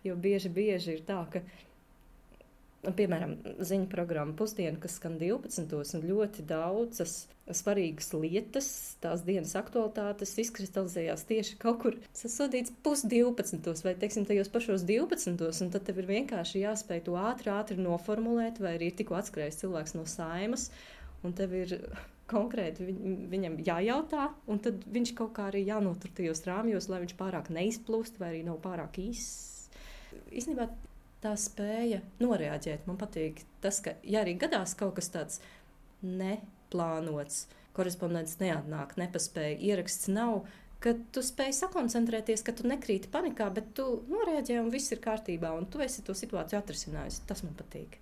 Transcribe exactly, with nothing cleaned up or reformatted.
Jo bieži, bieži ir tā, ka, piemēram, ziņu programma Pusdiena, kas skan divpadsmitos, un ļoti daudzas svarīgas lietas, tās dienas aktualitātes izkristalizējās tieši kaut kur sasodīts pusdivpadsmitos, vai, teiksim, tajos pašos divpadsmitos, un tad tev ir vienkārši jāspēj to ātri, ātri noformulēt, vai arī ir tikko atskrējis cilvēks no Saimas, un tev ir konkrēti viņ, viņam jājautā, un tad viņš kaut kā arī jānotur tajos rāmjos, lai viņš pārāk neizplūst, vai arī nav pārāk īss. Īstenībā tā spēja noreaģēt. Man patīk tas, ka, ja arī gadās kaut kas tāds neplānots, korespondents neatnāk, nepaspēja, ieraksts nav, ka tu spēj sakoncentrēties, ka tu nekrīti panikā, bet tu noreaģē un viss ir kārtībā, un tu esi to situāciju atrisinājis. Tas man patīk.